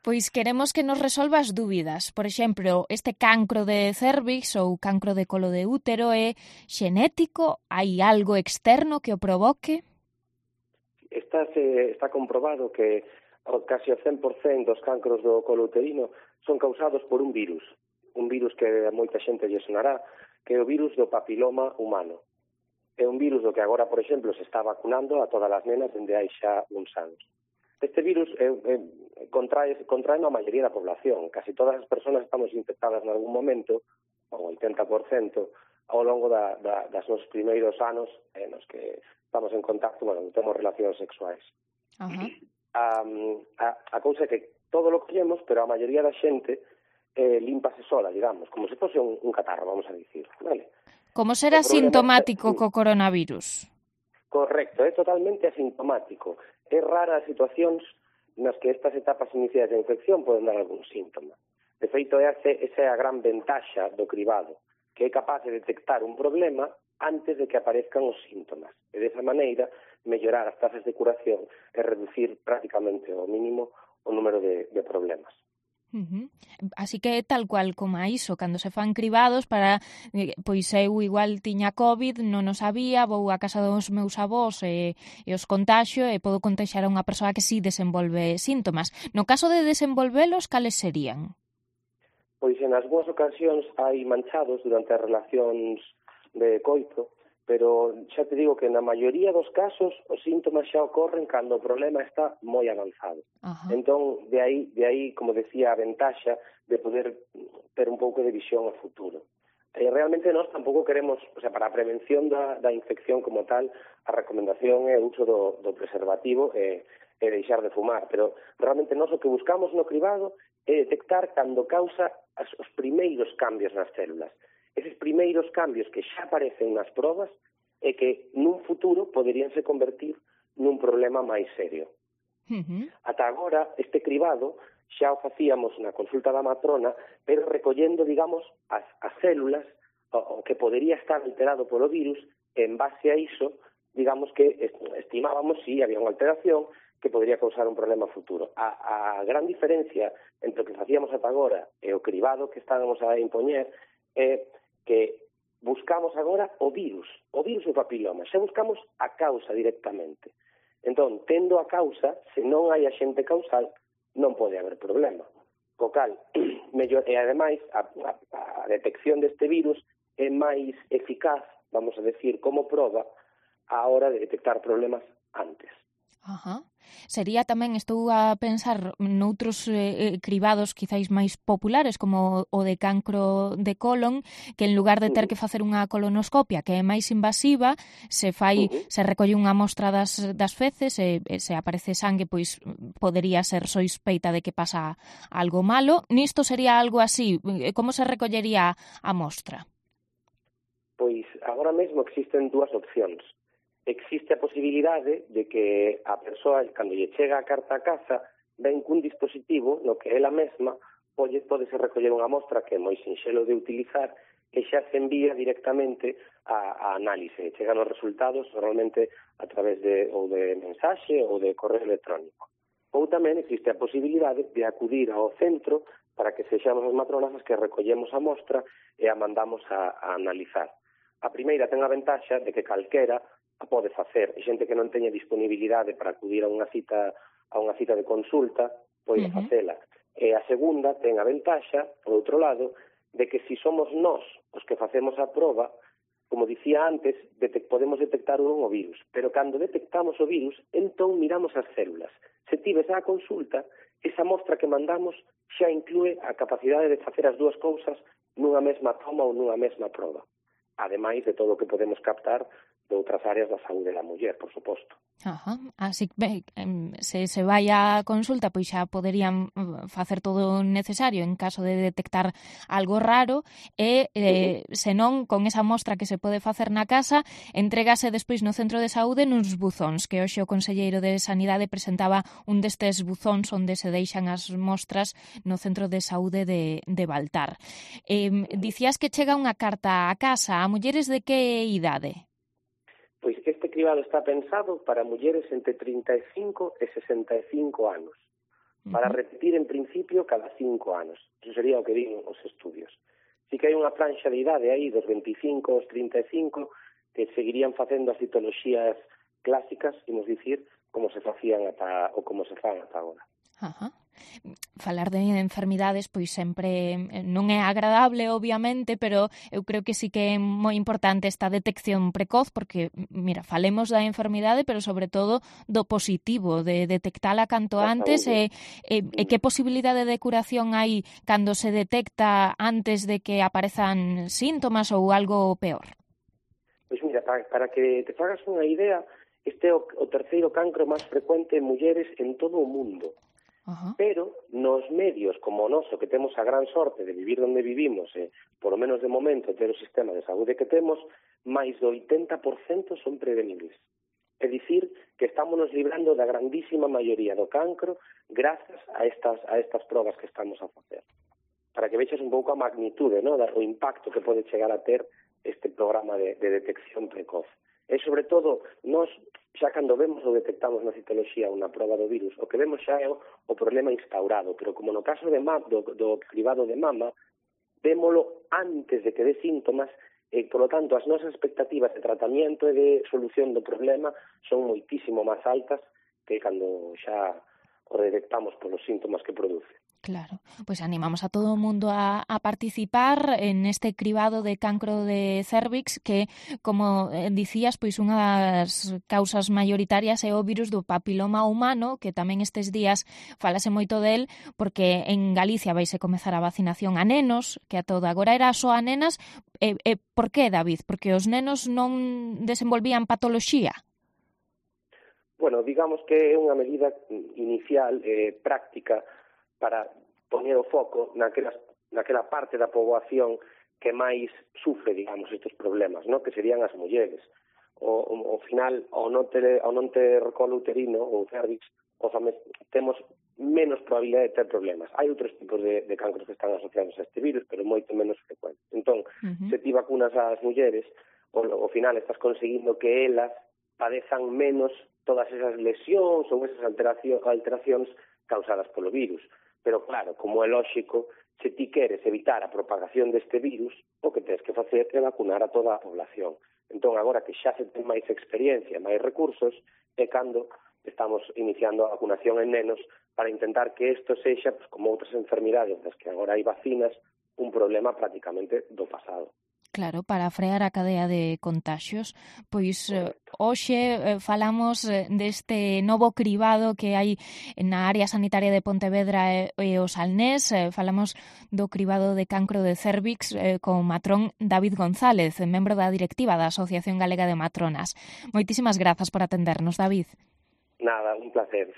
Pois queremos que nos resolva as dúbidas. Por exemplo, este cancro de cervix ou cancro de colo de útero é xenético? Hai algo externo que o provoque? Está comprobado que casi o 100% dos cancros do colo uterino son causados por un virus que a moita xente lle sonará, que é o virus do papiloma humano. É un virus do que agora, por exemplo, se está vacunando a todas as nenas dende hai xa uns anos. Este virus contrae a maioría da población. Casi todas as persoas estamos infectadas en algún momento, o 80%, ao longo das nos primeiros anos nos que estamos en contacto, temos relacións sexuais. A cousa é que todo lo collemos, pero a maioría da xente límpase sola, digamos, como se fose un catarro, vamos a dicir, vale? Como será sintomático co coronavirus? Correcto, é totalmente asintomático. É rara as situacións nas que estas etapas iniciais da infección poden dar algún síntoma. De feito, esa é a gran ventaxa do cribado, que é capaz de detectar un problema antes de que aparezcan os síntomas. E desa maneira, mellorar as tasas de curación e reducir prácticamente ao mínimo o número de problemas. Así que tal cual como a iso, cando se fan cribados para, pois eu igual tiña COVID, non o sabía, vou á casa dos meus avós e os contaxio e podo contaxiar a unha persoa que sí desenvolve síntomas. No caso de desenvolvelos, cales serían? Pois en algunhas ocasións hai manchados durante as relacións de coito, pero xa te digo que na maioría dos casos os síntomas xa ocorren cando o problema está moi avanzado. Entón, de aí, como decía, a ventaxa de poder ter un pouco de visión ao futuro. Realmente nós tampouco queremos, para a prevención da infección como tal, a recomendación é o uso do preservativo e deixar de fumar, pero realmente nós o que buscamos no cribado é detectar cando causa os primeiros cambios nas células. Eses primeiros cambios que xa aparecen nas probas e que nun futuro poderíanse convertir nun problema máis serio. Ata agora, este cribado xa o facíamos na consulta da matrona, pero recollendo, digamos, as células o que podería estar alterado polo virus, e en base a iso, digamos que estimábamos si había unha alteración que podría causar un problema futuro. A gran diferencia entre o que facíamos ata agora e o cribado que estábamos a impoñer é que buscamos agora o virus do papiloma, xa buscamos a causa directamente. Entón, tendo a causa, se non hai axente causal, non pode haber problema. Co cal, e ademais, a detección deste virus é máis eficaz, vamos a decir, como proba, a hora de detectar problemas antes. Sería tamén, estou a pensar noutros cribados quizáis máis populares como o de cancro de colon, que en lugar de ter que facer unha colonoscopia que é máis invasiva, se recolle unha mostra das feces e se aparece sangue, pois podería ser sospeita de que pasa algo malo. Nisto sería algo así, como se recollería a mostra? Pois agora mesmo existen dúas opcións. Existe a posibilidade de que a persoa, cando lle chega a carta a casa, ven cun dispositivo no que ela mesma pode recoller unha mostra que é moi sinxelo de utilizar e xa se envía directamente a análise. Chegan os resultados normalmente a través de mensaxe ou de correo electrónico. Ou tamén existe a posibilidade de acudir ao centro para que sexamos as matronas as que recollemos a mostra e a mandamos a analizar. A primeira ten a ventaxa de que calquera a pode facer. E xente que non teña disponibilidade para acudir a unha cita de consulta, pode facela. E a segunda ten a ventaxa, por outro lado, de que se somos nós os que facemos a proba, como dicía antes, podemos detectar o virus. Pero cando detectamos o virus, entón miramos as células. Se tives a consulta, esa mostra que mandamos xa inclúe a capacidade de facer as dúas cousas nunha mesma toma ou nunha mesma proba. Ademais de todo o que podemos captar de outras áreas da saúde da muller, por suposto. Así que se vai á consulta, pois xa poderían facer todo o necesario en caso de detectar algo raro e, se non, con esa mostra que se pode facer na casa, entrégase despois no centro de saúde nuns buzóns, que hoxe o conselleiro de Sanidade presentaba un destes buzóns onde se deixan as mostras no centro de saúde de Baltar. Dicías que chega unha carta a casa a mulleres de que idade? Pois este cribado está pensado para mulleres entre 35 e 65 anos. para repetir en principio cada 5 anos. Iso sería o que din os estudios. Si que hai unha franxa de idade aí dos 25 aos 35 que seguirían facendo as citoloxías clásicas, imos dicir, como se facían ou como se fan ata agora. Ajá. Falar de enfermidades pois sempre non é agradable, obviamente, pero eu creo que sí que é moi importante esta detección precoz, porque, mira, falemos da enfermidade, pero sobre todo do positivo, de detectala canto antes, e que posibilidade de curación hai cando se detecta antes de que aparezan síntomas ou algo peor? Pois mira, para que te fagas unha idea, este é o terceiro cancro máis frecuente en mulleres en todo o mundo. Pero nos medios como o noso, que temos a gran sorte de vivir onde vivimos, por lo menos de momento ter o sistema de saúde que temos, máis do 80% son prevenibles. É dicir, que estamos librando da grandísima maioría do cancro grazas a estas probas que estamos a facer. Para que vexas un pouco a magnitude, ¿no?, o impacto que pode chegar a ter este programa de detección precoz. E, sobre todo, nós, xa cando vemos ou detectamos na citoloxía unha proba do virus, o que vemos xa é o problema instaurado, pero como no caso do cribado de mama, vémolo antes de que dé síntomas, e, polo tanto, as nosas expectativas de tratamento e de solución do problema son moitísimo máis altas que cando xa o detectamos polos síntomas que produce. Claro, pois animamos a todo o mundo a participar en este cribado de cancro de cérvix que, como dicías, pois unha das causas maioritarias é o virus do papiloma humano, que tamén estes días falase moito del, porque en Galicia vaise comezar a vacinación a nenos, que a todo agora era só a nenas. Por que, David? Porque os nenos non desenvolvían patoloxía? Bueno, digamos que é unha medida inicial, práctica, para poñer o foco naquela parte da poboación que máis sufre, digamos, estes problemas, ¿no?, que serían as mulleres. Ao final, ao non ter colo uterino ou cervix, temos menos probabilidade de ter problemas. Hai outros tipos de cancros que están asociados a este virus, pero moito menos frecuentes. Entón, se ti vacunas ás mulleres, ao final estás conseguindo que elas padezan menos todas esas lesións ou esas alteracións causadas polo virus. Pero claro, como é lóxico, se ti queres evitar a propagación deste virus, o que tens que facer é vacunar a toda a población. Entón, agora que xa se ten máis experiencia, máis recursos, é cando estamos iniciando a vacunación en nenos para intentar que isto sexa, pues, como outras enfermidades das que agora hai vacinas, un problema prácticamente do pasado. Claro, para frear a cadea de contaxios. Pois hoxe falamos deste novo cribado que hai na área sanitaria de Pontevedra e o Salnés. Falamos do cribado de cancro de cérvix con o matrón David González, membro da directiva da Asociación Galega de Matronas. Moitísimas grazas por atendernos, David. Nada, un placer.